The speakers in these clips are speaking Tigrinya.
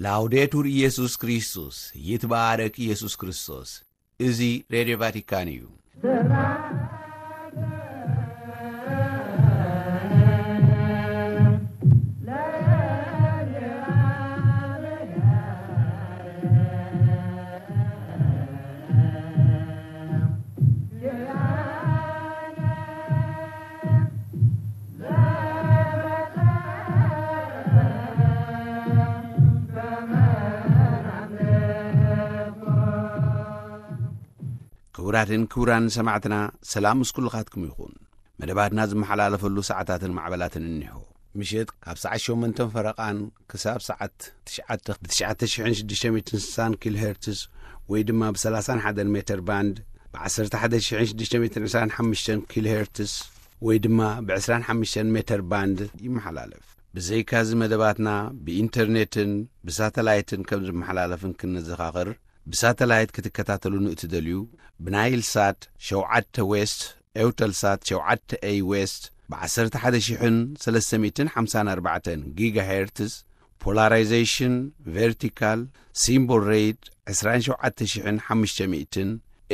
ላውዴቱር ኢየሱስ ክርስቶስ፣ ይትባረክ ኢየሱስ ክርስቶስ። እዚ ሬድዮ ቫቲካን እዩ። ክቡራትን ክቡራን ሰማዕትና፣ ሰላም ምስ ኩልኻትኩም ይኹን። መደባትና ዝመሓላለፈሉ ሰዓታትን ማዕበላትን እኒሆ። ምሸት ካብ ሰዓት ሸሞንተን ፈረቓን ክሳብ ሰዓት ትሽዓተ ብ ትሽዓተ ሽሕን ሽዱሽተ ሚእትን ስሳን ኪሎ ሄርትስ ወይ ድማ ብ ሰላሳን ሓደን ሜተር ባንድ፣ ብ ዓሰርተ ሓደ ሽሕን ሽዱሽተ ሚእትን ዕስራን ሓሙሽተን ኪሎ ሄርትስ ወይ ድማ ብ ዕስራን ሓሙሽተን ሜተር ባንድ ይመሓላለፍ። ብዘይካዚ መደባትና ብኢንተርኔትን ብሳተላይትን ከም ዝመሓላለፍን ክንዘኻኽር፣ ብሳተላይት ክትከታተሉ ንእትደልዩ፣ ብናይል ሳት ሸውዓተ ዌስት፣ ኤውተልሳት ሸውዓተ ኤይ ዌስት፣ ብ ዓሰርተ ሓደ ሽሕን ሰለስተ ሚእትን ሓምሳን ኣርባዕተን ጊጋሄርትስ፣ ፖላራይዜሽን ቨርቲካል፣ ሲምቦል ሬት ዕስራን ሸውዓተ ሽሕን ሓሙሽተ ሚእትን፣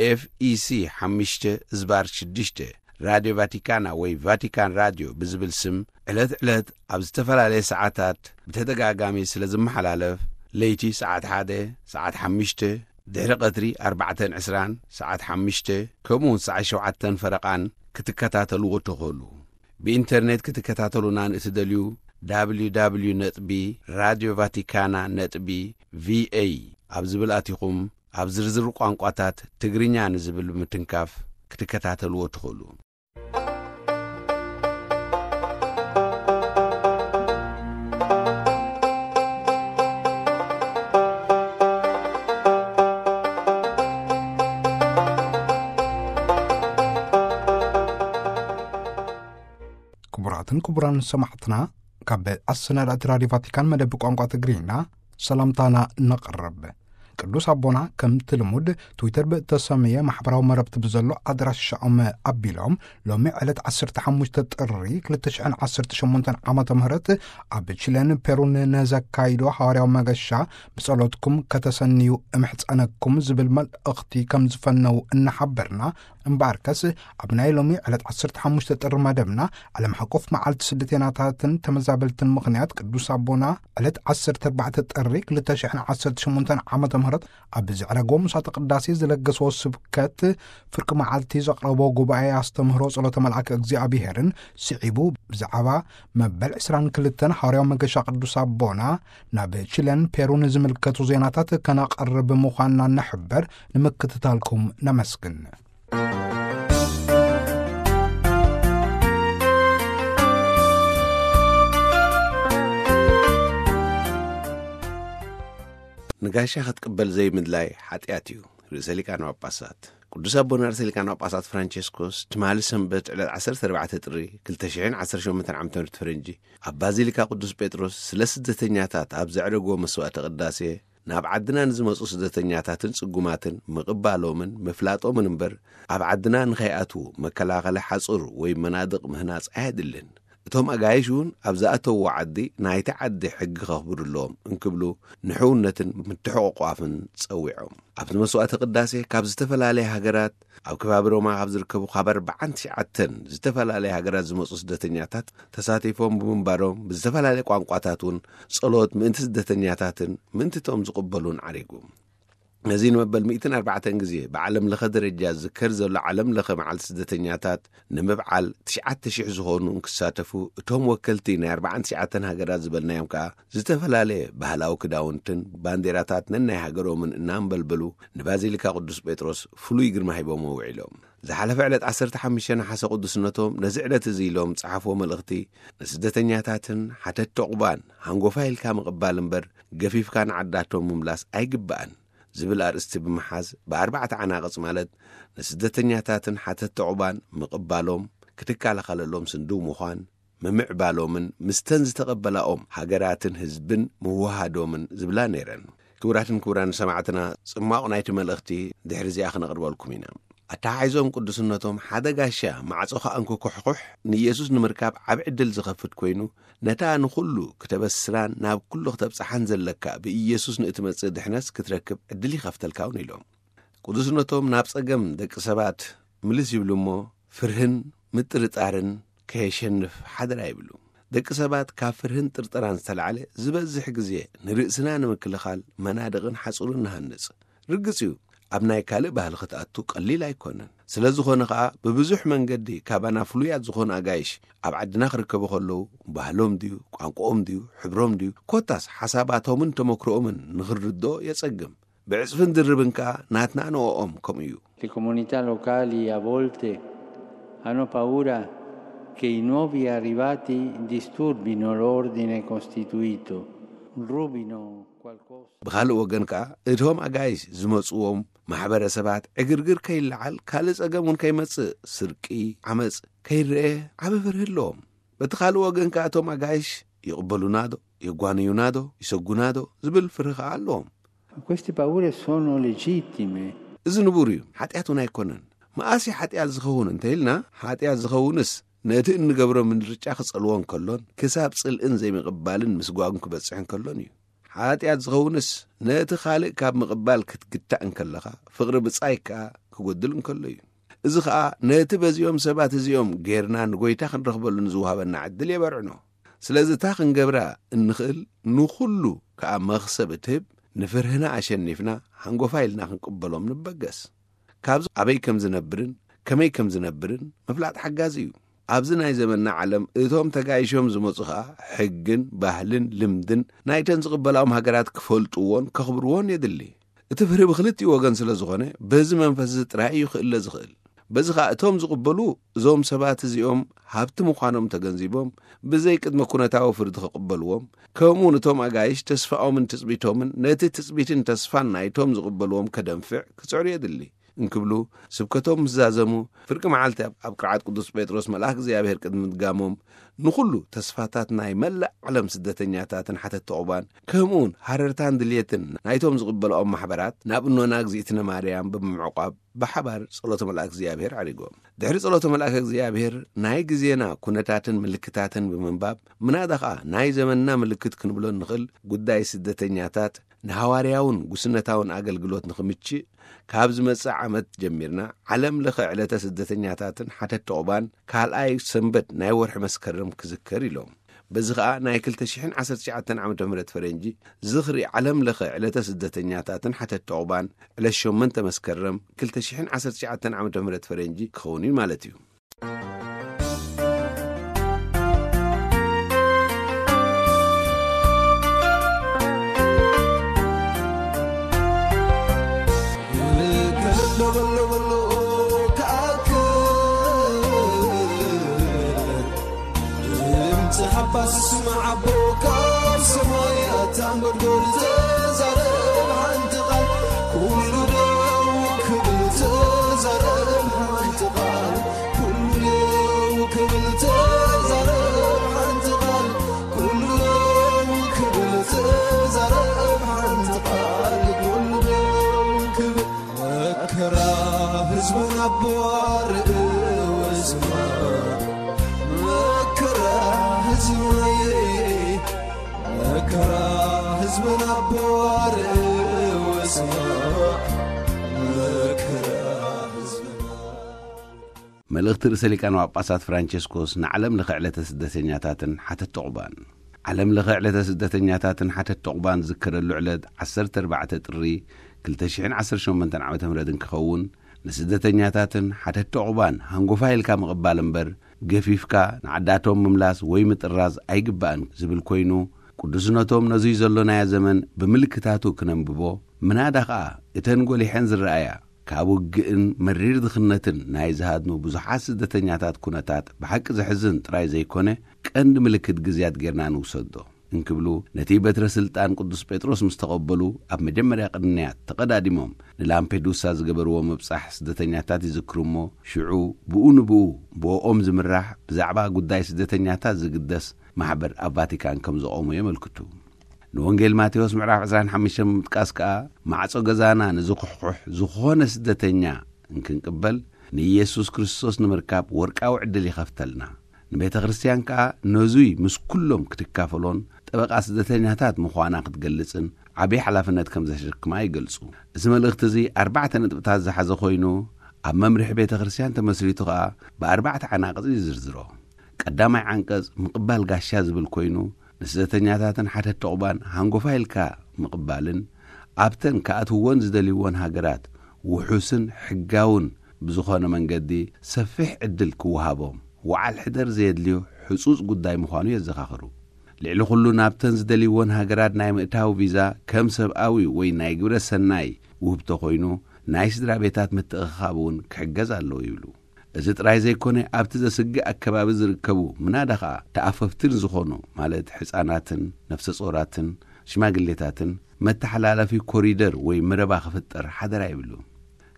ኤፍ ኢ ሲ ሓሙሽተ ዝባር ሽዱሽተ፣ ራድዮ ቫቲካና ወይ ቫቲካን ራድዮ ብዝብል ስም ዕለት ዕለት ኣብ ዝተፈላለየ ሰዓታት ብተደጋጋሚ ስለ ዝመሓላለፍ፣ ለይቲ ሰዓት ሓደ፣ ሰዓት ሓሙሽተ፣ ድሕሪ ቀትሪ ኣርባዕተን ዕስራን፣ ሰዓት ሓሙሽተ፣ ከምኡ እውን ሰዓት ሸውዓተን ፈረቓን ክትከታተልዎ ትኽእሉ። ብኢንተርኔት ክትከታተሉና ንእትደልዩ፣ www ነጥቢ ራድዮ ቫቲካና ነጥቢ ቪ ኤ ኣብ ዝብል ኣቲኹም፣ ኣብ ዝርዝር ቋንቋታት ትግርኛ ንዝብል ብምትንካፍ ክትከታተልዎ ትኽእሉ። ክቡራትን ክቡራን ሰማዕትና፣ ካብ ኣሰናዳእቲ ራድዮ ቫቲካን መደብ ቋንቋ ትግርኛ ሰላምታና ነቕርብ። ቅዱስ ኣቦና ከምቲ ልሙድ ትዊተር ብእተሰመየ ማሕበራዊ መረብቲ ብዘሎ ኣድራሻኦም ኣቢሎም፣ ሎሚ ዕለት ዓሰርተ ሓሙሽተ ጥሪ ክልተ ሽሕን ዓሰርተ ሸሞንተን ዓመተ ምህረት ኣብ ቺለን ፔሩን ነዘካይዶ ሃዋርያዊ መገሻ ብጸሎትኩም ከተሰንዩ እምሕጸነኩም ዝብል መልእኽቲ ከም ዝፈነው እናሓበርና፣ እምበኣርከስ ኣብ ናይ ሎሚ ዕለት ዓሰርተ ሓሙሽተ ጥሪ መደብና ዓለም ሓቆፍ መዓልቲ ስደተኛታትን ተመዛበልትን ምኽንያት ቅዱስ ኣቦና ዕለት ዓሰርተ ኣርባዕተ ጥሪ ክልተ ሽሕን ዓሰርተ ሸሞንተን ዓመተ ምህረት ኣብ ዘዕረጎ ምሳተ ቅዳሴ ዝለገስዎ ስብከት፣ ፍርቂ መዓልቲ ዘቕረቦ ጉባኤ ኣስተምህሮ ጸሎተ መልኣከ እግዚኣብሄርን ስዒቡ ብዛዕባ መበል ዕስራን ክልተን ሃዋርያዊ መገሻ ቅዱስ ኣቦና ናብ ቺለን ፔሩን ዝምልከቱ ዜናታት ከነቕርብ ምዃንና ንሕበር። ንምክትታልኩም ነመስግን። ንጋሻ ክትቅበል ዘይምድላይ ሓጢኣት እዩ። ርእሰ ሊቃነ ጳጳሳት ቅዱስ ኣቦና ርእሰ ሊቃነ ጳጳሳት ፍራንቸስኮስ ትማሊ ሰንበት ዕለት ዓሰርተ ኣርባዕተ ጥሪ ክልተ ሽሕን ዓሰርተ ሸሞንተን ዓመተ ምህረት ፈረንጂ ኣብ ባዚሊካ ቅዱስ ጴጥሮስ ስለ ስደተኛታት ኣብ ዘዕረግዎ መስዋዕተ ቅዳሴ፣ ናብ ዓድና ንዝመጹ ስደተኛታትን ጽጉማትን ምቕባሎምን ምፍላጦምን እምበር፣ ኣብ ዓድና ንኸይኣትዉ መከላኸሊ ሓጹር ወይ መናድቕ ምህናጽ ኣየድልን። እቶም ኣጋይሽ እውን ኣብ ዝኣተውዎ ዓዲ ናይቲ ዓዲ ሕጊ ከኽብሩ ኣለዎም እንክብሉ ንሕውነትን ምትሕቑቋፍን ጸዊዖም። ኣብቲ መስዋዕተ ቅዳሴ ካብ ዝተፈላለያ ሃገራት፣ ኣብ ከባቢ ሮማ ካብ ዝርከቡ ካብ ኣርባዓን ትሽዓተን ዝተፈላለያ ሃገራት ዝመጹ ስደተኛታት ተሳቲፎም ብምንባሮም፣ ብዝተፈላለየ ቋንቋታት እውን ጸሎት ምእንቲ ስደተኛታትን ምእንቲ እቶም ዝቕበሉን ዓሪጉ። ነዚ ንመበል ሚእትን ኣርባዕተን ግዜ ብዓለም ለኸ ደረጃ ዝዝከር ዘሎ ዓለም ለኸ መዓልቲ ስደተኛታት ንምብዓል ትሽዓተ ሽሕ ዝኾኑ እንክሳተፉ፣ እቶም ወከልቲ ናይ ኣርባዓን ትሽዓተን ሃገራት ዝበልናዮም ከኣ ዝተፈላለየ ባህላዊ ክዳውንትን ባንዴራታት ነናይ ሃገሮምን እናንበልበሉ ንባዚሊካ ቅዱስ ጴጥሮስ ፍሉይ ግርማ ሂቦምዎ ውዒሎም። ዝሓለፈ ዕለት ዓሰርተ ሓሙሽተ ነሓሰ ቅዱስነቶም ነዚ ዕለት እዚ ኢሎም ጸሓፍዎ መልእኽቲ፣ ንስደተኛታትን ሓተትቲ ዑቕባን ሃንጎፋይ ኢልካ ምቕባል እምበር ገፊፍካ ንዓዳቶም ምምላስ ኣይግባእን ዝብል ኣርእስቲ ብምሓዝ ብኣርባዕተ ዓናቕጽ ማለት ንስደተኛታትን ሓተትቲ ዑቕባን ምቕባሎም፣ ክትከላኸለሎም ስንድው ምዃን፣ ምምዕባሎምን ምስተን ዝተቐበላኦም ሃገራትን ህዝብን ምውሃዶምን ዝብላ ነይረን። ክቡራትን ክቡራን ሰማዕትና፣ ጽማቕ ናይቲ መልእኽቲ ድሕሪ እዚኣ ክነቕርበልኩም ኢና። ኣተሓሒዞም ቅዱስነቶም፣ ሓደ ጋሻ ማዕጾ ከኣ እንክኩሕኩሕ ንኢየሱስ ንምርካብ ዓቢ ዕድል ዝኸፍት ኮይኑ፣ ነታ ንኹሉ ክተበስራን ናብ ኩሉ ክተብጽሓን ዘለካ ብኢየሱስ ንእትመጽእ ድሕነስ ክትረክብ ዕድል ይኸፍተልካ እውን ኢሎም። ቅዱስነቶም ናብ ጸገም ደቂ ሰባት ምልስ ይብሉ እሞ፣ ፍርህን ምጥርጣርን ከየሸንፍ ሓደራ ይብሉ። ደቂ ሰባት ካብ ፍርህን ጥርጠራን ዝተላዕለ ዝበዝሕ ግዜ ንርእስና ንምክልኻል መናድቕን ሓጹርን ንሃንጽ። ርግጽ እዩ፣ ኣብ ናይ ካልእ ባህሊ ክትኣቱ ቀሊል ኣይኮነን። ስለ ዝኾነ ኸኣ ብብዙሕ መንገዲ ካባና ፍሉያት ዝኾኑ ኣጋይሽ ኣብ ዓድና ክርከቡ ከለዉ፣ ባህሎም ድዩ፣ ቋንቋኦም ድዩ፣ ሕብሮም ድዩ፣ ኮታስ ሓሳባቶምን ተመክሮኦምን ንኽንርድኦ የጸግም። ብዕጽፍን ድርብን ከኣ ናትና ንኦኦም ከምኡ እዩ። Le comunità locali a volte hanno paura che i nuovi arrivati disturbino l'ordine costituito, rubino qualcosa. ብኻልእ ወገን ከኣ እቶም ኣጋይሽ ዝመጽዎም ማሕበረሰባት ዕግርግር ከይለዓል፣ ካልእ ጸገም እውን ከይመጽእ፣ ስርቂ፣ ዓመጽ ከይረኤ ዓቢ ፍርሂ ኣለዎም። በቲ ካልእ ወገን ከኣ እቶም ኣጋይሽ ይቕበሉና ዶ፣ የጓንዩና ዶ፣ ይሰጉና ዶ ዝብል ፍርሂ ከኣ ኣለዎም። Queste paure sono legittime. እዚ ንቡር እዩ፣ ሓጢኣት እውን ኣይኮነን። መኣስ እዩ ሓጢኣት ዝኸውን እንተ ኢልና፣ ሓጢኣት ዝኸውንስ ነቲ እንገብሮ ምርጫ ክጸልዎ እንከሎን ክሳብ ጽልእን ዘይምቕባልን ምስጓግን ክበጽሕ እንከሎን እዩ። ሓጢኣት ዝኸውንስ ነቲ ካልእ ካብ ምቕባል ክትግታእ እንከለኻ፣ ፍቕሪ ብጻይ ከኣ ክጎድል እንከሎ እዩ። እዚ ኸኣ ነቲ በዚኦም ሰባት እዚኦም ጌርና ንጎይታ ክንረኽበሉ ንዝወሃበና ዕድል የበርዕኖ። ስለዚ እታ ክንገብራ እንኽእል ንኹሉ ከኣ መኽሰብ እትህብ፣ ንፍርህና ኣሸኒፍና ሃንጎፋ ኢልና ክንቅበሎም ንበገስ። ካብዚ ኣበይ ከም ዝነብርን ከመይ ከም ዝነብርን ምፍላጥ ሓጋዚ እዩ። ኣብዚ ናይ ዘመንና ዓለም እቶም ተጋይሾም ዝመጹ ኸኣ ሕግን ባህልን ልምድን ናይተን ዝቕበላኦም ሃገራት ክፈልጥዎን ከኽብርዎን የድሊ። እቲ ፍርሂ ብኽልቲኡ ወገን ስለ ዝኾነ በዚ መንፈስ እዚ ጥራይ እዩ ክእለ ዝኽእል። በዚ ኸኣ እቶም ዝቕበሉ እዞም ሰባት እዚኦም ሃብቲ ምዃኖም ተገንዚቦም ብዘይ ቅድመ ኩነታዊ ፍርዲ ክቕበልዎም፣ ከምኡውን እቶም ኣጋይሽ ተስፋኦምን ትጽቢቶምን ነቲ ትጽቢትን ተስፋን ናይቶም ዝቕበልዎም ከደንፍዕ ክጽዕሩ የድሊ እንክብሉ ስብከቶም ምስ ዛዘሙ፣ ፍርቂ መዓልቲ ኣብ ኣብ ቅርዓት ቅዱስ ጴጥሮስ መልኣክ እግዚኣብሔር ቅድሚ ምድጋሞም ንኹሉ ተስፋታት ናይ መላእ ዓለም ስደተኛታትን ሓተት ተቑባን ከምኡውን ሃረርታን ድልየትን ናይቶም ዝቕበልኦም ማሕበራት ናብ እኖና እግዚኣብእትነ ማርያም ብምዕቋብ ብሓባር ጸሎተ መልኣክ እግዚኣብሔር ዓሪጎም። ድሕሪ ጸሎተ መልኣክ እግዚኣብሔር ናይ ግዜና ኩነታትን ምልክታትን ብምንባብ ምናዳ ኸኣ ናይ ዘመንና ምልክት ክንብሎ እንኽእል ጉዳይ ስደተኛታት ንሃዋርያውን ጉስነታውን ኣገልግሎት ንኽምችእ ካብ ዝመጽእ ዓመት ጀሚርና ዓለም ለኸ ዕለተ ስደተኛታትን ሓተት ተቑባን ካልኣይ ሰንበት ናይ ወርሒ መስከረም ክዝከር ኢሎም። በዚ ኸኣ ናይ ክልተ ሽሕን ዓሰርተ ትሽዓተን ዓመተ ምህረት ፈረንጂ ዝኽሪ ዓለም ለኸ ዕለተ ስደተኛታትን ሓተት ተቑባን ዕለት ሸሞንተ መስከረም ክልተ ሽሕን ዓሰርተ ትሽዓተን ዓመተ ምህረት ፈረንጂ ክኸውን እዩ ማለት እዩ። መልእኽቲ ርእሰ ሊቃነ ጳጳሳት ፍራንቸስኮስ ንዓለም ለኸ ዕለተ ስደተኛታትን ሓተት ተቑባን። ዓለም ለኸ ዕለተ ስደተኛታትን ሓተት ተቑባን ዝከረሉ ዕለት ዓሰርተ ኣርባዕተ ጥሪ ክልተ ሽሕን ዓሰርተ ሸሞንተን ዓመተ ምህረት እንክኸውን፣ ንስደተኛታትን ሓተት ተቑባን ሃንጎፋ ኢልካ ምቕባል እምበር፣ ገፊፍካ ንዓዳቶም ምምላስ ወይ ምጥራዝ ኣይግባእን ዝብል ኮይኑ፣ ቅዱስነቶም ነዙይ ዘሎናዮ ዘመን ብምልክታቱ ክነንብቦ፣ ምናዳ ኸኣ እተን ጎሊሐን ዝረኣያ ካብ ውግእን መሪር ድኽነትን ናይ ዝሃድኑ ብዙሓት ስደተኛታት ኩነታት ብሓቂ ዘሕዝን ጥራይ ዘይኮነ፣ ቀንዲ ምልክት ግዝያት ጌርና ንውሰዶ እንክብሉ፣ ነቲ በትረ ስልጣን ቅዱስ ጴጥሮስ ምስ ተቐበሉ፣ ኣብ መጀመርያ ቅንያት ተቐዳዲሞም ንላምፔዱሳ ዝገበርዎ ምብጻሕ ስደተኛታት ይዝክሩ እሞ፣ ሽዑ ብኡ ንብኡ ብኦም ዝምራሕ ብዛዕባ ጉዳይ ስደተኛታት ዝግደስ ማሕበር ኣብ ቫቲካን ከም ዘቖሙ የመልክቱ። ንወንጌል ማቴዎስ ምዕራፍ ዕስራን ሓሙሽተን ብምጥቃስ ከኣ፣ ማዕጾ ገዛና ንዝኹሕኩሕ ዝኾነ ስደተኛ እንክንቅበል፣ ንኢየሱስ ክርስቶስ ንምርካብ ወርቃዊ ዕድል ይኸፍተልና። ንቤተ ክርስቲያን ከኣ ነዙይ ምስ ኩሎም ክትካፈሎን ጠበቓ ስደተኛታት ምዃና ክትገልጽን ዓብዪ ሓላፍነት ከም ዘሸክማ ይገልጹ። እዚ መልእኽቲ እዚ ኣርባዕተ ነጥብታት ዝሓዘ ኮይኑ፣ ኣብ መምርሒ ቤተ ክርስቲያን ተመስሪቱ ከኣ ብኣርባዕተ ዓናቕጽ ይዝርዝሮ። ቀዳማይ ዓንቀጽ ምቕባል ጋሻ ዝብል ኮይኑ፣ ንስደተኛታትን ሓተት ዑቕባን ሃንጎፋ ኢልካ ምቕባልን ኣብተን ክኣትውወን ዝደልይወን ሃገራት ውሑስን ሕጋውን ብዝኾነ መንገዲ ሰፊሕ ዕድል ክወሃቦም፣ ወዓል ሕደር ዘየድልዮ ሕጹጽ ጉዳይ ምዃኑ የዘኻኽሩ። ልዕሊ ኩሉ ናብተን ዝደልይወን ሃገራት ናይ ምእታው ቪዛ ከም ሰብኣዊ ወይ ናይ ግብረ ሰናይ ውህብቶ ኮይኑ፣ ናይ ስድራ ቤታት ምትእኽኻብ እውን ክሕገዝ ኣለዎ ይብሉ። እዚ ጥራይ ዘይኮነ፣ ኣብቲ ዘስግእ ኣከባቢ ዝርከቡ ምናዳ ኸኣ ተኣፈፍትን ዝኾኑ፣ ማለት ሕፃናትን ነፍሰ ጾራትን ሽማግሌታትን፣ መተሓላለፊ ኮሪደር ወይ መረባ ክፍጠር ሓደራ ይብሉ።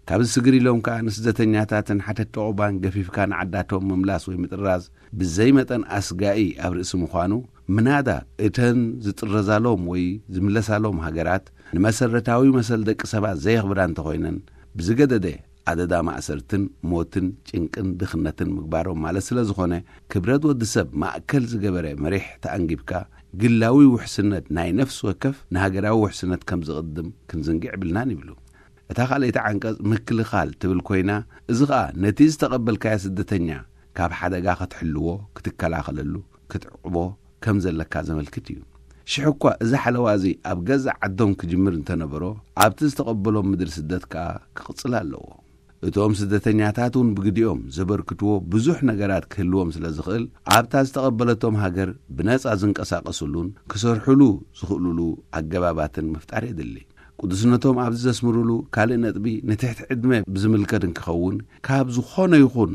ካብዚ ስግር ኢሎም ከኣ ንስደተኛታትን ሓተት ዑቕባን ገፊፍካ ንዓዳቶም ምምላስ ወይ ምጥራዝ ብዘይ መጠን ኣስጋኢ ኣብ ርእሲ ምዃኑ፣ ምናዳ እተን ዝጥረዛሎም ወይ ዝምለሳሎም ሃገራት ንመሰረታዊ መሰል ደቂ ሰባት ዘየኽብራ እንተኾይነን፣ ብዝገደደ ኣደዳ ማእሰርትን ሞትን ጭንቅን ድኽነትን ምግባሮም ማለት ስለ ዝኾነ፣ ክብረት ወዲ ሰብ ማእከል ዝገበረ መሪሕ ተኣንጊብካ፣ ግላዊ ውሕስነት ናይ ነፍሲ ወከፍ ንሃገራዊ ውሕስነት ከም ዝቕድም ክንዝንግዕ የብልናን ይብሉ። እታ ካልኣይቲ ዓንቀጽ ምክልኻል ትብል ኮይና፣ እዚ ኸኣ ነቲ ዝተቐበልካዮ ስደተኛ ካብ ሓደጋ ክትሕልዎ፣ ክትከላኸለሉ፣ ክትዕቕቦ ከም ዘለካ ዘመልክት እዩ። ሽሕ እኳ እዚ ሓለዋ እዚ ኣብ ገዛእ ዓዶም ክጅምር እንተነበሮ፣ ኣብቲ ዝተቐበሎም ምድሪ ስደት ከኣ ክቕጽል ኣለዎ። እቶም ስደተኛታት እውን ብግዲኦም ዘበርክትዎ ብዙሕ ነገራት ክህልዎም ስለ ዝኽእል፣ ኣብታ ዝተቐበለቶም ሃገር ብነጻ ዝንቀሳቐስሉን ክሰርሕሉ ዝኽእሉሉ ኣገባባትን ምፍጣር የድሊ። ቅዱስነቶም ኣብዚ ዘስምሩሉ ካልእ ነጥቢ፣ ንትሕቲ ዕድመ ብዝምልከት እንክኸውን፣ ካብ ዝኾነ ይኹን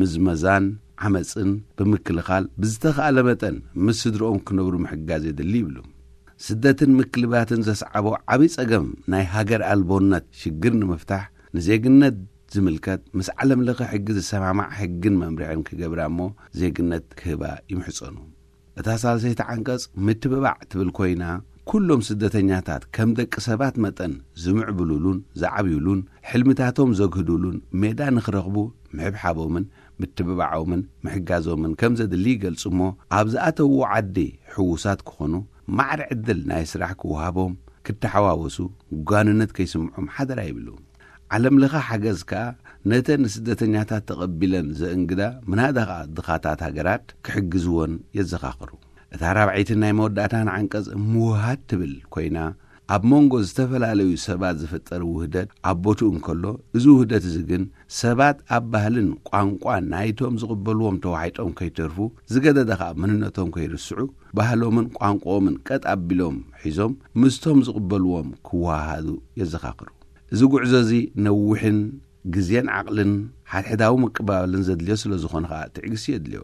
ምዝመዛን ዓመጽን ብምክልኻል ብዝተኻእለ መጠን ምስ ስድርኦም ክነብሩ ምሕጋዝ የድሊ ይብሉ። ስደትን ምክልባትን ዘስዓቦ ዓቢ ጸገም ናይ ሃገር ኣልቦነት ሽግር ንምፍታሕ፣ ንዜግነት ዝምልከት ምስ ዓለም ለኸ ሕጊ ዝሰማማዕ ሕግን መምርሕን ክገብራ እሞ ዜግነት ክህባ ይምሕጸኑ። እታ ሳልሰይቲ ዓንቀጽ ምትብባዕ ትብል ኮይና፣ ኩሎም ስደተኛታት ከም ደቂ ሰባት መጠን ዝምዕብሉሉን ዝዓብዩሉን፣ ሕልምታቶም ዘግህዱሉን ሜዳ ንኽረኽቡ ምሕብሓቦምን ምትብባዖምን ምሕጋዞምን ከም ዘድሊ ይገልጹ እሞ፣ ኣብ ዝኣተውዎ ዓዲ ሕዉሳት ክኾኑ፣ ማዕረ ዕድል ናይ ስራሕ ክወሃቦም፣ ክተሓዋወሱ፣ ጓንነት ከይስምዖም ሓደራ ይብሉ። ዓለም ለኸ ሓገዝ ከኣ ነተን ንስደተኛታት ተቐቢለን ዘእንግዳ ምናዳ ኸኣ ድኻታት ሃገራት ክሕግዝወን የዘኻኽሩ። እታ ራብዐይትን ናይ መወዳእታን ዓንቀጽ ምውሃድ ትብል ኮይና፣ ኣብ መንጎ ዝተፈላለዩ ሰባት ዝፍጠር ውህደት ኣብ ቦትኡ እንከሎ፣ እዚ ውህደት እዚ ግን ሰባት ኣብ ባህልን ቋንቋን ናይቶም ዝቕበልዎም ተዋሒጦም ከይተርፉ፣ ዝገደደ ኸኣ መንነቶም ከይርስዑ፣ ባህሎምን ቋንቋኦምን ቀጥ ኣቢሎም ሒዞም ምስቶም ዝቕበልዎም ክወሃሃዱ የዘኻኽሩ። እዚ ጉዕዞ እዚ ነዊሕን ግዜን ዓቕልን ሓድሕዳዊ ምቅባልን ዘድልዮ ስለ ዝኾነ ኸኣ ትዕግስቲ የድልዮ።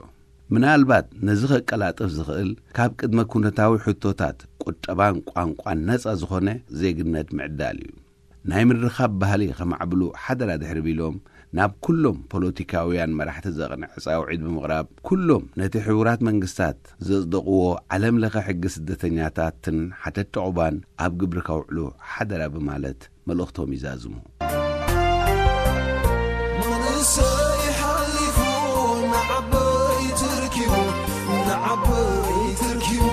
ምናልባት ነዚ ከቀላጥፍ ዝኽእል ካብ ቅድመ ኩነታዊ ሕቶታት ቁጠባን ቋንቋን ነጻ ዝኾነ ዜግነት ምዕዳል እዩ። ናይ ምርኻብ ባህሊ ከማዕብሉ ሓደራ ድሕሪ ቢሎም፣ ናብ ኩሎም ፖለቲካውያን መራሕቲ ዘቕንዐ ጻውዒት ብምቕራብ፣ ኩሎም ነቲ ሕቡራት መንግስታት ዘጽደቕዎ ዓለም ለኸ ሕጊ ስደተኛታትን ሓተት ዑቕባን ኣብ ግብሪ ከውዕሉ ሓደራ ብማለት መልእኽቶም ይዛዝሙ። መንእሰይ ሓሊፉ ንዓበይቲ ርኪቡ፣ ንዓበይቲ ርኪቡ፣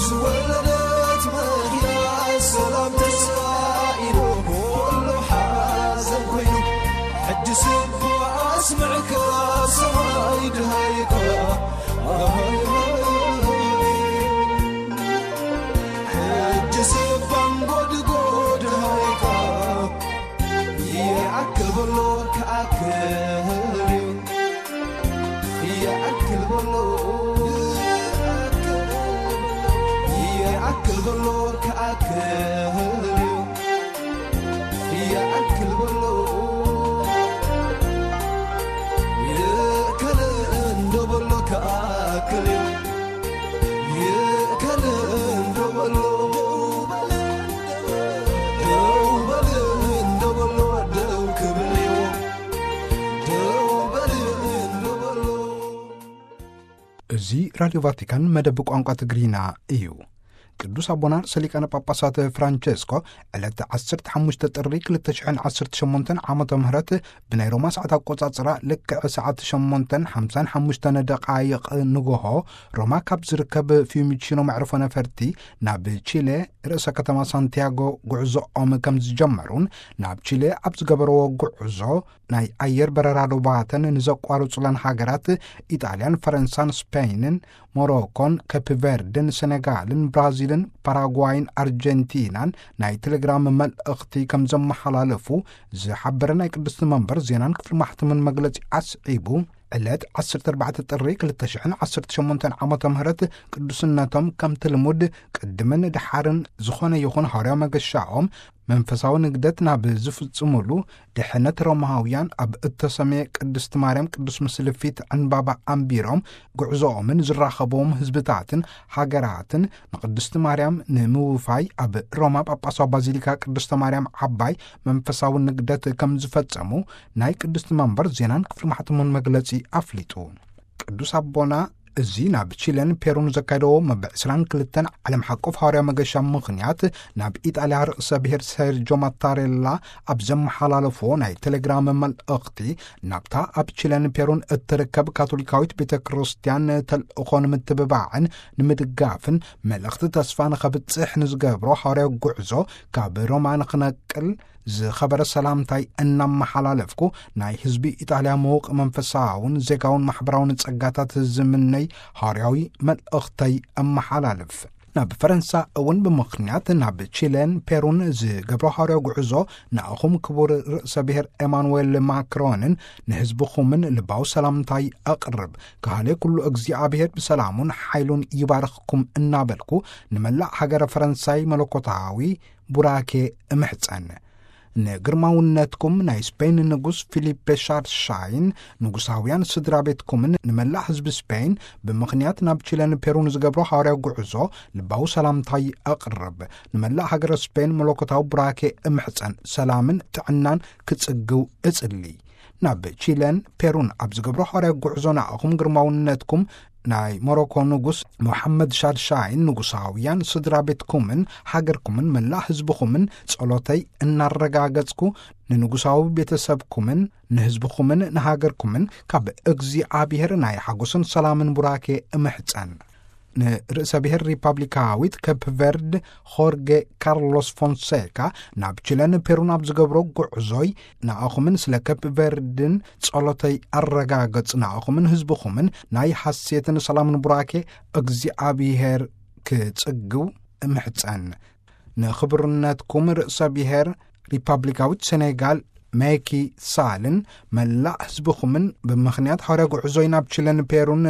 ዝወለደት መኪና ሰላም ተስፋ ኢሉ ኩሉ ሓዘን ኮይኑ፣ ሕጂ ስቡ ኣስምዕካ ሰማይ ድሃይካ። ሕጂ ስባን ጎድጎድ ሃይካ ይኣክል በሎ ክኣክል እዩ። ይኣክል በሎ ይኣክል በሎ ክኣክል እዩ። ይኣክል በሎ ይእከል እንዶ በሎ ክኣክል እዩ። ይእከል እንዶ በሎ ደው በል እንዶ በሎ ደው ክብል እዩ። ደው በል እንዶ በሎ። እዚ ራድዮ ቫቲካን መደብ ቋንቋ ትግርኛ እዩ። ቅዱስ ኣቦና ርእሰ ሊቃነ ጳጳሳት ፍራንቸስኮ ዕለት ዓሰርተ ሓሙሽተ ጥሪ ክልተ ሽሕን ዓሰርተ ሸሞንተን ዓመተ ምህረት ብናይ ሮማ ሰዓት ኣቆጻጽራ ልክዕ ሰዓት ሸሞንተን ሓምሳን ሓሙሽተን ደቓይቕ ንግሆ ሮማ ካብ ዝርከብ ፊዩሚቺኖ መዕርፎ ነፈርቲ ናብ ቺለ ርእሰ ከተማ ሳንቲያጎ ጉዕዞኦም ከም ዝጀመሩን ናብ ቺለ ኣብ ዝገበረዎ ጉዕዞ ናይ ኣየር በረራ ዶባተን ንዘቋርጹለን ሃገራት ኢጣልያን፣ ፈረንሳን፣ ስፔይንን፣ ሞሮኮን፣ ኬፕ ቨርድን፣ ሰነጋልን፣ ብራዚልን፣ ፓራጓይን፣ ኣርጀንቲናን ናይ ቴሌግራም መልእኽቲ ከም ዘመሓላለፉ ዝሓበረ ናይ ቅድስቲ መንበር ዜናን ክፍሊ ማሕተምን መግለጺ ኣስዒቡ፣ ዕለት ዓሰርተ ኣርባዕተ ጥሪ ክልተ ሽሕን ዓሰርተ ሸሞንተን ዓመተ ምህረት ቅዱስነቶም ከምቲ ልሙድ ቅድምን ድሓርን ዝኾነ ይኹን ሃዋርያዊ መገሻኦም መንፈሳዊ ንግደት ናብ ዝፍጽሙሉ ድሕነት ሮማውያን ኣብ እተሰምየ ቅድስቲ ማርያም ቅዱስ ምስሊ ፊት ዕንባባ ኣንቢሮም ጉዕዞኦምን ዝራኸብዎም ህዝብታትን ሃገራትን ንቅድስቲ ማርያም ንምውፋይ ኣብ ሮማ ጳጳሳዊ ባዚሊካ ቅድስተ ማርያም ዓባይ መንፈሳዊ ንግደት ከም ዝፈጸሙ ናይ ቅድስቲ መንበር ዜናን ክፍሊ ማሕተሙን መግለጺ ኣፍሊጡ። ቅዱስ ኣቦና እዚ ናብ ቺለን ፔሩን ዘካየደዎ መበል ዕስራን ክልተን ዓለም ሓቆፍ ሃዋርያዊ መገሻ ምኽንያት ናብ ኢጣልያ ርእሰ ብሔር ሴርጆ ማታሬላ ኣብ ዘመሓላለፍዎ ናይ ቴሌግራም መልእኽቲ ናብታ ኣብ ቺለን ፔሩን እትርከብ ካቶሊካዊት ቤተ ክርስቲያን ተልእኾ ንምትብባዕን ንምድጋፍን መልእኽቲ ተስፋ ንኸብጽሕ ንዝገብሮ ሃዋርያዊ ጉዕዞ ካብ ሮማ ንኽነቅል ዝኸበረ ሰላምታይ እናመሓላለፍኩ ናይ ህዝቢ ኢጣልያ ምዉቕ መንፈሳውን ዜጋውን ማሕበራውን ጸጋታት ዝምነይ ሃዋርያዊ መልእኽተይ እመሓላልፍ። ናብ ፈረንሳ እውን ብምኽንያት ናብ ቺለን ፔሩን ዝገብሮ ሃዋርያዊ ጉዕዞ ንኣኹም ክቡር ርእሰ ብሔር ኤማኑዌል ማክሮንን ንህዝብኹምን ልባዊ ሰላምታይ ኣቕርብ። ካህሌ ኩሉ እግዚኣብሔር ብሰላሙን ሓይሉን ይባርኽኩም እናበልኩ ንመላእ ሃገረ ፈረንሳይ መለኮታዊ ቡራኬ እምሕጸን። ንግርማውነትኩም ናይ ስፔን ንጉስ ፊሊፔ ሻርሻይን ንጉሳውያን ስድራ ቤትኩምን ንመላእ ህዝቢ ስፔን ብምኽንያት ናብ ቺለን ፔሩን ዝገብሮ ሃዋርያዊ ጉዕዞ ልባዊ ሰላምታይ ኣቕርብ። ንመላእ ሃገረ ስፔን መለኮታዊ ቡራኬ እምሕጸን፣ ሰላምን ጥዕናን ክጽግው እጽሊ። ናብ ቺለን ፔሩን ኣብ ዝገብሮ ሃዋርያዊ ጉዕዞ ንኣኹም ግርማውነትኩም ናይ ሞሮኮ ንጉስ ሞሓመድ ሻድሻይን ንጉሳውያን ስድራ ቤትኩምን ሃገርኩምን መላእ ህዝብኹምን ጸሎተይ እናረጋገጽኩ ንንጉሳዊ ቤተሰብኩምን ንህዝብኹምን ንሃገርኩምን ካብ እግዚኣብሔር ናይ ሓጎስን ሰላምን ቡራኬ እምሕጸን። ንርእሰ ብሔር ሪፓብሊካዊት ኬፕ ቨርድ ሆርጌ ካርሎስ ፎንሴካ ናብ ቺለን ፔሩን ኣብ ዝገብሮ ጉዕዞይ ንኣኹምን ስለ ኬፕ ቨርድን ጸሎተይ ኣረጋገጽ። ንኣኹምን ህዝብኹምን ናይ ሓሴትን ሰላምን ቡራኬ እግዚኣብሔር ክጽግው እምሕጸን። ንኽብርነትኩም ርእሰ ብሔር ሪፓብሊካዊት ሴኔጋል ሜኪ ሳልን መላእ ህዝብኹምን ብምኽንያት ሃዋርያ ጉዕዞይ ናብ ቺለን ፔሩን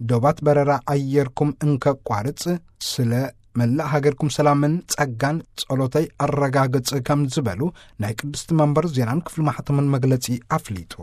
ዶባት በረራ ኣየርኩም እንከቋርጽ ስለ መላእ ሃገርኩም ሰላምን ጸጋን ጸሎተይ ኣረጋግጽ ከም ዝበሉ ናይ ቅድስቲ መንበር ዜናን ክፍሊ ማሕተምን መግለጺ ኣፍሊጡ።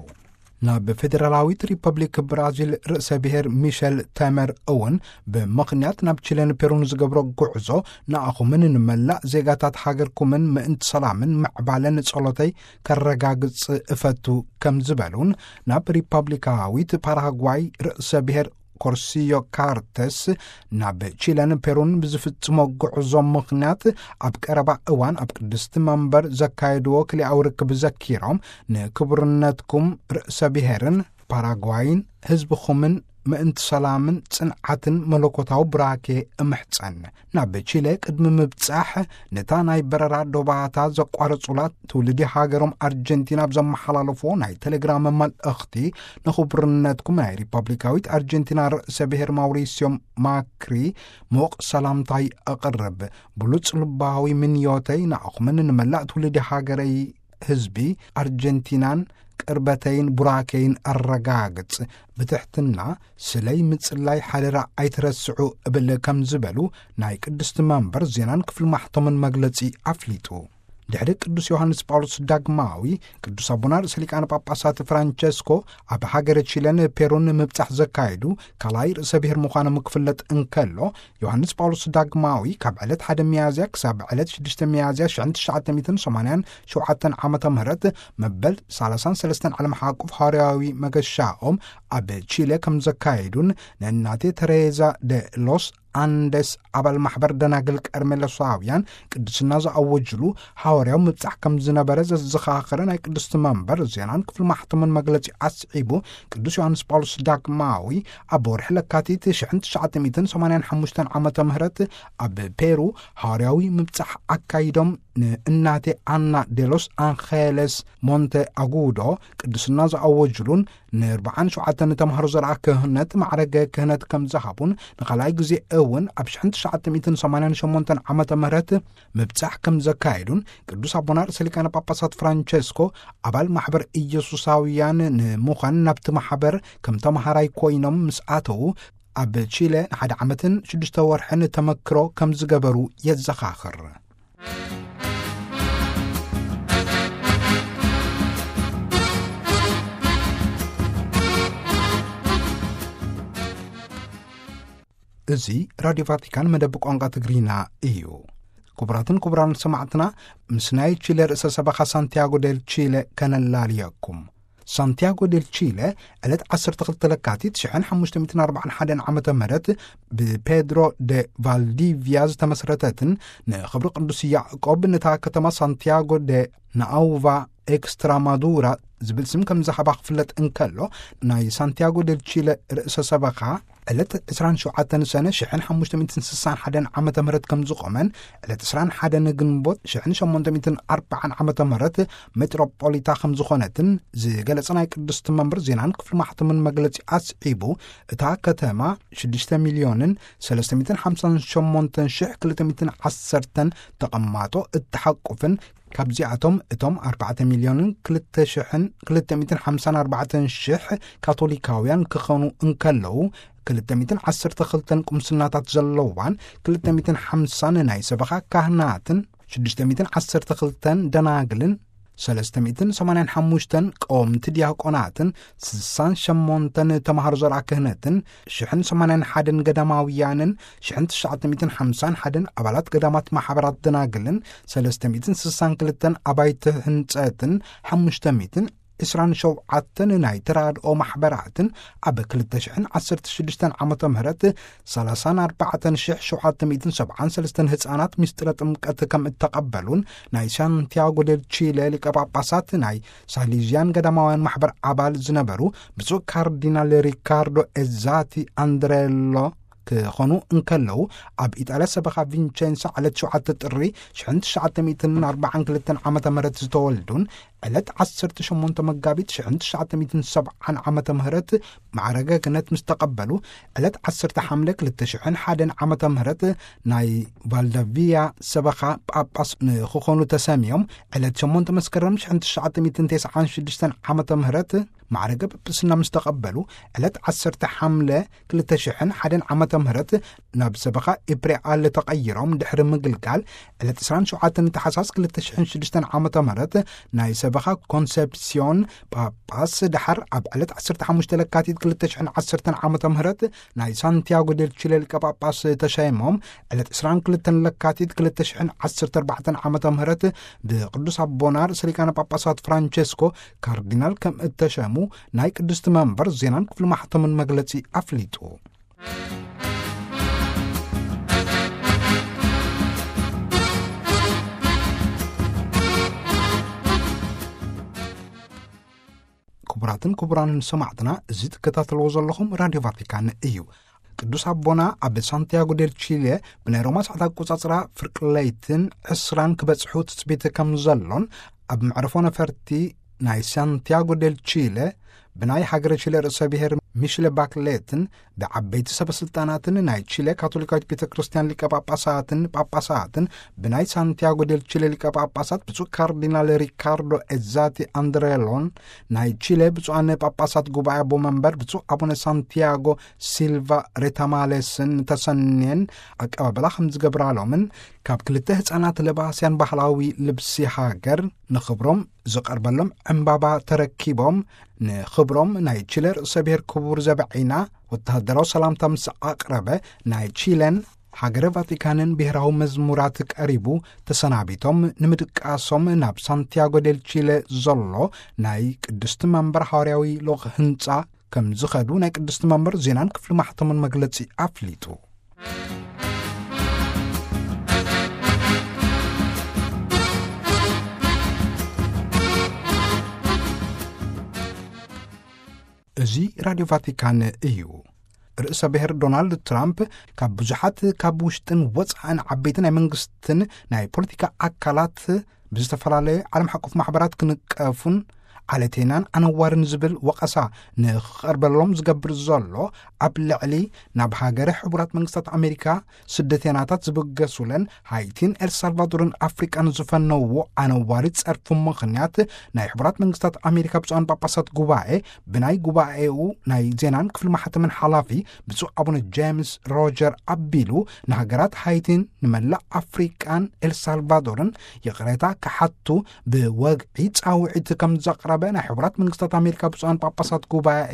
ናብ ፌደራላዊት ሪፐብሊክ ብራዚል ርእሰ ብሔር ሚሸል ተመር እውን ብምኽንያት ናብ ቺለን ፔሩን ዝገብሮ ጉዕዞ ንኣኹምን ንመላእ ዜጋታት ሃገርኩምን ምእንቲ ሰላምን ምዕባለን ጸሎተይ ከረጋግጽ እፈቱ ከም ዝበሉን ናብ ሪፐብሊካዊት ፓራጓይ ርእሰ ብሔር ኮርሲዮ ካርተስ ናብ ቺለን ፔሩን ብዝፍጽሞ ጉዕዞ ምኽንያት ኣብ ቀረባ እዋን ኣብ ቅድስቲ መንበር ዘካየድዎ ክልኣዊ ርክብ ዘኪሮም ንክቡርነትኩም ርእሰ ብሔርን ፓራጓይን ህዝብኹምን ምእንቲ ሰላምን ጽንዓትን መለኮታዊ ብራኬ እምሕጸን። ናብ ቺለ ቅድሚ ምብጻሕ ነታ ናይ በረራ ዶባታ ዘቋረጹላ ትውልዲ ሃገሮም ኣርጀንቲና ኣብ ዘመሓላለፎ ናይ ቴሌግራም መልእኽቲ ንኽቡርነትኩም ናይ ሪፐብሊካዊት ኣርጀንቲና ርእሰ ብሔር ማውሪስዮ ማክሪ ሞቕ ሰላምታይ ኣቕርብ። ብሉጽ ልባዊ ምንዮተይ ንኣኹምን ንመላእ ትውልዲ ሃገረይ ህዝቢ ኣርጀንቲናን ቅርበተይን ቡራኬይን ኣረጋግጽ። ብትሕትና ስለይ ምጽላይ ሓደራ ኣይትረስዑ እብል ከም ዝበሉ ናይ ቅድስቲ መንበር ዜናን ክፍሊ ማሕተምን መግለጺ ኣፍሊጡ። ድሕሪ ቅዱስ ዮሃንስ ጳውሎስ ዳግማዊ ቅዱስ ኣቦና ርእሰ ሊቃነ ጳጳሳት ፍራንቸስኮ ኣብ ሃገረ ቺለን ፔሩን ምብጻሕ ዘካየዱ ካልኣይ ርእሰ ብሔር ምዃኖም ክፍለጥ እንከሎ፣ ዮሃንስ ጳውሎስ ዳግማዊ ካብ ዕለት ሓደ ሚያዝያ ክሳብ ዕለት ሽዱሽተ ሚያዝያ ሽሕን ትሽዓተ ሚእትን ሰማንያን ሸውዓተን ዓመተ ምህረት መበል ሰላሳን ሰለስተን ዓለም ሓቁፍ ሃዋርያዊ መገሻኦም ኣብ ቺለ ከም ዘካየዱን ንእናቴ ተሬዛ ደ ሎስ ኣንደስ ኣባል ማሕበር ደናግል ቀርሜሎሳውያን ቅድስና ዝኣወጅሉ ሃዋርያዊ ምብጻሕ ከም ዝነበረ ዘዘኻኸረ ናይ ቅድስቲ መንበር ዜናን ክፍሊ ማሕተምን መግለጺ ኣስዒቡ፣ ቅዱስ ዮሃንስ ጳውሎስ ዳግማዊ ኣብ ወርሒ ለካቲት ሽሕን ትሽዓተ ሚእትን ሰማንያን ሓሙሽተን ዓመተ ምህረት ኣብ ፔሩ ሃዋርያዊ ምብጻሕ ኣካይዶም፣ ንእናቴ ኣና ዴሎስ ኣንኼለስ ሞንተ ኣጉዶ ቅድስና ዝኣወጅሉን ንኣርባዓን ሸውዓተን ተምሃሮ ዘርኣ ክህነት ማዕረገ ክህነት ከም ዝሃቡን፣ ንኻልኣይ ግዜ እውን ኣብ ሽሕን ትሽዓተ ሚእትን ሰማንያን ሸሞንተን ዓመተ ምህረት ምብጻሕ ከም ዘካየዱን፣ ቅዱስ ኣቦና ርእሰ ሊቃነ ጳጳሳት ፍራንቸስኮ ኣባል ማሕበር ኢየሱሳውያን ንምዃን ናብቲ ማሕበር ከም ተምሃራይ ኮይኖም ምስ ኣተዉ፣ ኣብ ቺለ ንሓደ ዓመትን ሽዱሽተ ወርሕን ተመክሮ ከም ዝገበሩ የዘኻኽር። እዚ ራድዮ ቫቲካን መደብ ቋንቋ ትግርኛ እዩ። ክቡራትን ክቡራን ሰማዕትና፣ ምስ ናይ ቺለ ርእሰ ሰበኻ ሳንቲያጎ ዴል ቺለ ከነላልየኩም። ሳንቲያጎ ዴል ቺለ ዕለት ዓሰርተ ክልተ ለካቲት ሽሕን ሓሙሽተ ሚእትን ኣርባዓን ሓደን ዓመተ ምህረት ብፔድሮ ደ ቫልዲቪያ ዝተመስረተትን ንኽብሪ ቅዱስ ያዕቆብ ነታ ከተማ ሳንቲያጎ ደ ናኣውቫ ኤክስትራማዱራ ዝብል ስም ከም ዝሃባ ክፍለጥ እንከሎ፣ ናይ ሳንቲያጎ ዴል ቺለ ርእሰ ሰበኻ ዕለት ዕስራን ሸውዓተን ሰነ ሽሕን ሓሙሽተ ሚእትን ስሳን ሓደን ዓመተ ምህረት ከም ዝቖመን፣ ዕለት ዕስራን ሓደን ግንቦት ሽሕን ሸሞንተ ሚእትን ኣርባዓን ዓመተ ምህረት ሜትሮፖሊታ ከም ዝኾነትን ዝገለጸ ናይ ቅድስቲ መንበር ዜናን ክፍሊ ማሕተምን መግለጺ ኣስዒቡ፣ እታ ከተማ ሽዱሽተ ሚልዮንን ሰለስተ ሚእትን ሓምሳን ሸሞንተን ሽሕ ክልተ ሚእትን ዓሰርተን ተቐማጦ እትሓቁፍን፣ ካብዚኣቶም እቶም ኣርባዕተ ሚልዮንን ክልተ ሽሕን ክልተ ሚእትን ሓምሳን ኣርባዕተን ሽሕ ካቶሊካውያን ክኾኑ እንከለዉ፣ ክልተ ሚእትን ዓሰርተ ክልተን ቁምስናታት ዘለዋን ክልተ ሚእትን ሓምሳን ናይ ሰበኻ ካህናትን ሽዱሽተ ሚእትን ዓሰርተ ክልተን ደናግልን ሰለስተ ሚእትን ሰማንያን ሓሙሽተን ቀወምቲ ዲያቆናትን ስሳን ሸሞንተን ተምሃሮ ዘርኣ ክህነትን ሽሕን ሰማንያን ሓደን ገዳማውያንን ሽሕን ትሽዓተ ሚእትን ሓምሳን ሓደን ኣባላት ገዳማት ማሕበራት ደናግልን ሰለስተ ሚእትን ስሳን ክልተን ኣባይቲ ህንጸትን ሓሙሽተ ሚእትን ዕስራን ሸውዓተን ናይ ተራድኦ ማሕበራትን ኣብ ክልተ ሽሕን ዓሰርተ ሽዱሽተን ዓመተ ምህረት ሰላሳን ኣርባዕተን ሽሕ ሸውዓተ ሚእትን ሰብዓን ሰለስተን ህጻናት ምስጢረ ጥምቀት ከም እተቐበሉን ናይ ሳንቲያጎ ዴል ቺለ ሊቀ ጳጳሳት ናይ ሳሊዝያን ገዳማውያን ማሕበር ኣባል ዝነበሩ ብፁዕ ካርዲናል ሪካርዶ ኤዛቲ ኣንድሬሎ ክኾኑ እንከለዉ፣ ኣብ ኢጣልያ ሰበኻ ቪንቸንሳ ዕለት ሸውዓተ ጥሪ ሽሕን ትሽዓተ ሚእትን ኣርባዓን ክልተን ዓመተ ምህረት ዝተወልዱን ዕለት ዓሰርተ ሸሞንተ መጋቢት ሽሕን ትሽዓተ ሚእትን ሰብዓን ዓመተ ምህረት ማዕረገ ክህነት ምስ ተቐበሉ፣ ዕለት ዓሰርተ ሓምለ ክልተ ሽሕን ሓደን ዓመተ ምህረት ናይ ቫልዳቪያ ሰበኻ ጳጳስ ንክኾኑ ተሰምዮም፣ ዕለት ሸሞንተ መስከረም ሽሕን ትሽዓተ ሚእትን ተስዓን ሽዱሽተን ዓመተ ምህረት ማዕረገ ጵጵስና ምስ ተቐበሉ፣ ዕለት ዓሰርተ ሓምለ ክልተ ሽሕን ሓደን ዓመተ ምህረት ናብ ሰበኻ ኢፕሬኣል ተቐይሮም ድሕሪ ምግልጋል፣ ዕለት ዕስራን ሸውዓተን ታሕሳስ ክልተ ሽሕን ሽዱሽተን ዓመተ ምህረት ናይ ሰበኻ ኮንሰፕሲዮን ጳጳስ፣ ደሓር ኣብ ዕለት ዓሰርተ ሓሙሽተ ለካቲት ክልተ ሽሕን ዓሰርተን ዓመተ ምህረት ናይ ሳንቲያጎ ዴል ቺለ ሊቀ ጳጳስ ተሸይሞም፣ ዕለት ዕስራን ክልተን ለካቲት ክልተ ሽሕን ዓሰርተ ኣርባዕተን ዓመተ ምህረት ብቅዱስ ኣቦና ርእሰ ሊቃነ ጳጳሳት ፍራንቸስኮ ካርዲናል ከም እተሸሙ ናይ ቅድስቲ መንበር ዜናን ክፍሊ ማሕተምን መግለጺ ኣፍሊጡ። ክቡራትን ክቡራንን ሰማዕትና፣ እዚ ትከታተልዎ ዘለኹም ራድዮ ቫቲካን እዩ። ቅዱስ ኣቦና ኣብ ሳንቲያጎ ዴል ቺሌ ብናይ ሮማ ሰዓት ኣቆጻጽራ ፍርቂ ለይትን ዕስራን ክበጽሑ ትጽቢት ከም ዘሎን፣ ኣብ መዕርፎ ነፈርቲ ናይ ሳንቲያጎ ዴል ቺሌ ብናይ ሃገረ ቺሌ ርእሰ ብሔር ሚሽለ ባክሌትን ብዓበይቲ ሰበ ስልጣናትን ናይ ቺሌ ካቶሊካዊት ቤተ ክርስቲያን ሊቀ ጳጳሳትን ጳጳሳትን ብናይ ሳንቲያጎ ዴል ቺሌ ሊቀ ጳጳሳት ብፁዕ ካርዲናል ሪካርዶ ኤዛቲ ኣንድሬሎን፣ ናይ ቺሌ ብፁዓን ጳጳሳት ጉባኤ ኣቦ መንበር ብፁዕ ኣቡነ ሳንቲያጎ ሲልቫ ሬታማሌስን ተሰንየን ኣቀባብላ ከም ዝገብራሎምን፣ ካብ ክልተ ህፃናት ለባስያን ባህላዊ ልብሲ ሃገር ንኽብሮም ዝቐርበሎም ዕምባባ ተረኪቦም፣ ንኽብሮም ናይ ቺለ ርእሰ ብሔር ክቡር ዘበዒና ወተሃደራዊ ሰላምታ ምስ ኣቕረበ፣ ናይ ቺለን ሃገረ ቫቲካንን ብሔራዊ መዝሙራት ቀሪቡ ተሰናቢቶም፣ ንምድቃሶም ናብ ሳንቲያጎ ዴል ቺለ ዘሎ ናይ ቅድስቲ መንበር ሃዋርያዊ ልኡኽ ህንጻ ከም ዝኸዱ ናይ ቅድስቲ መንበር ዜናን ክፍሊ ማሕተምን መግለጺ ኣፍሊጡ። እዚ ራድዮ ቫቲካን እዩ። ርእሰ ብሔር ዶናልድ ትራምፕ ካብ ብዙሓት ካብ ውሽጥን ወጻእን ዓበይቲ ናይ መንግስትን ናይ ፖለቲካ ኣካላት ብዝተፈላለየ ዓለም ሓቆፍ ማሕበራት ክንቀፉን ዓለቴናን ኣነዋርን ዝብል ወቐሳ ንኽቐርበሎም ዝገብር ዘሎ፣ ኣብ ልዕሊ ናብ ሃገረ ሕቡራት መንግስታት ኣሜሪካ ስደተናታት ዝብገሱለን ሃይቲን ኤልሳልቫዶርን ኣፍሪቃን ዝፈነውዎ ኣነዋሪ ጸርፊ ምኽንያት፣ ናይ ሕቡራት መንግስታት ኣሜሪካ ብፁዓን ጳጳሳት ጉባኤ ብናይ ጉባኤኡ ናይ ዜናን ክፍሊ ማሕተምን ሓላፊ ብፁዕ ኣቡነ ጄምስ ሮጀር ኣቢሉ፣ ንሃገራት ሃይቲን ንመላእ ኣፍሪቃን ኤልሳልቫዶርን ይቕሬታ ክሓቱ ብወግዒ ጻውዒት ከም ዘቕረበ ናይ ሕቡራት መንግስታት ኣሜሪካ ብፁዓን ጳጳሳት ጉባኤ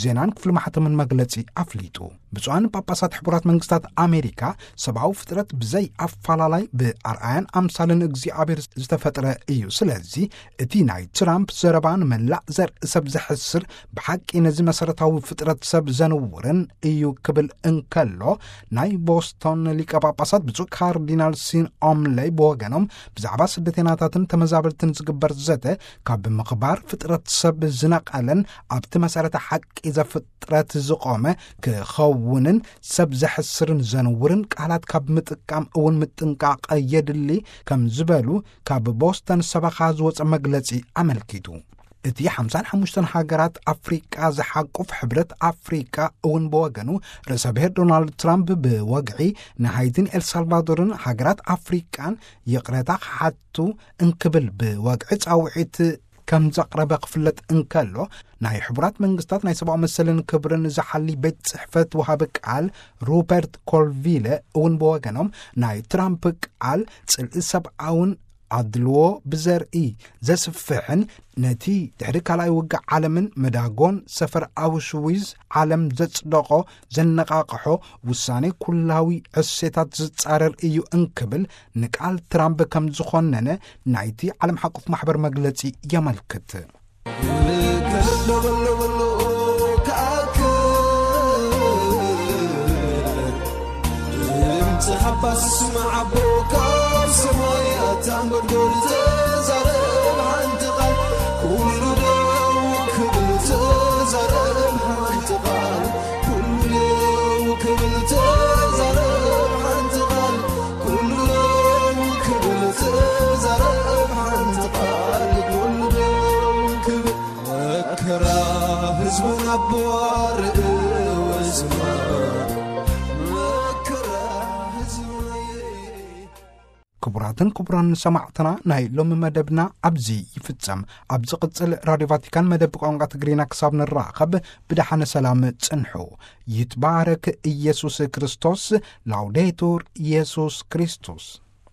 ዜናን ክፍሊ ማሕተምን መግለጺ ኣፍሊጡ። ብፁዓን ጳጳሳት ሕቡራት መንግስታት ኣሜሪካ፣ ሰብኣዊ ፍጥረት ብዘይ ኣፈላላይ ብኣርኣያን ኣምሳልን እግዚኣብሔር ዝተፈጥረ እዩ። ስለዚ እቲ ናይ ትራምፕ ዘረባ ንመላእ ዘርኢ ሰብ ዘሕስር፣ ብሓቂ ነዚ መሰረታዊ ፍጥረት ሰብ ዘንውርን እዩ ክብል እንከሎ፣ ናይ ቦስቶን ሊቀ ጳጳሳት ብፁዕ ካርዲናል ሲን ኦምለይ ብወገኖም፣ ብዛዕባ ስደተናታትን ተመዛበልትን ዝግበር ዘተ ካብ ምኽባር ፍጥረት ሰብ ዝነቐለን ኣብቲ መሰረተ ሓቂ ዘፍጥረት ዝቖመ ክኸውንን ሰብ ዘሕስርን ዘንውርን ቃላት ካብ ምጥቃም እውን ምጥንቃቕ የድሊ ከም ዝበሉ ካብ ቦስተን ሰበኻ ዝወጸ መግለጺ ኣመልኪቱ። እቲ ሓምሳን ሓሙሽተን ሃገራት ኣፍሪቃ ዝሓቁፍ ሕብረት ኣፍሪቃ እውን ብወገኑ፣ ርእሰ ብሔር ዶናልድ ትራምፕ ብወግዒ ንሃይቲን ኤልሳልቫዶርን ሃገራት ኣፍሪቃን ይቕረታ ክሓቱ እንክብል ብወግዒ ጻውዒት ከም ዘቕረበ ክፍለጥ እንከሎ፣ ናይ ሕቡራት መንግስታት ናይ ሰብኣዊ መሰልን ክብርን ዝሓሊ ቤት ጽሕፈት ወሃቢ ቃል ሩፐርት ኮልቪለ እውን ብወገኖም፣ ናይ ትራምፕ ቃል ጽልኢ ሰብኣውን ኣድልዎ ብዘርኢ ዘስፍሕን ነቲ ድሕሪ ካልኣይ ውግእ ዓለምን መዳጎን ሰፈር ኣውሽዊዝ ዓለም ዘጽደቖ ዘነቓቕሖ ውሳኔ ኩላዊ ዕሴታት ዝጻረር እዩ እንክብል ንቃል ትራምፕ ከም ዝኾነነ ናይቲ ዓለም ሓቆፍ ማሕበር መግለጺ የመልክት። ድምፂ ሓባስ መዓቦ ካብ ሰማይ ኣታንጎድጎድ ተዛረብ ሓንቲ ቃል፣ ኩሉ ደው ክብል ተዛረብ ሓንቲ ቃል፣ ኩሉ ደው ክብል ተዛረብ ሓንቲ ቃል፣ ኩሉ ደው ክብል ተዛረብ ሓንቲ ቃል፣ ኩሉ ደው ክብል መከራ ህዝብና ኣቦ ኣርእወ ዝማ መከራ ህዝብና ክቡራትን ክቡራን ሰማዕትና፣ ናይ ሎሚ መደብና ኣብዚ ይፍጸም። ኣብ ዝቕጽል ራድዮ ቫቲካን መደብ ቋንቋ ትግርኛ ክሳብ ንራኸብ ብደሓነ ሰላም ጽንሑ። ይትባረክ ኢየሱስ ክርስቶስ። ላውዴቱር ኢየሱስ ክርስቶስ።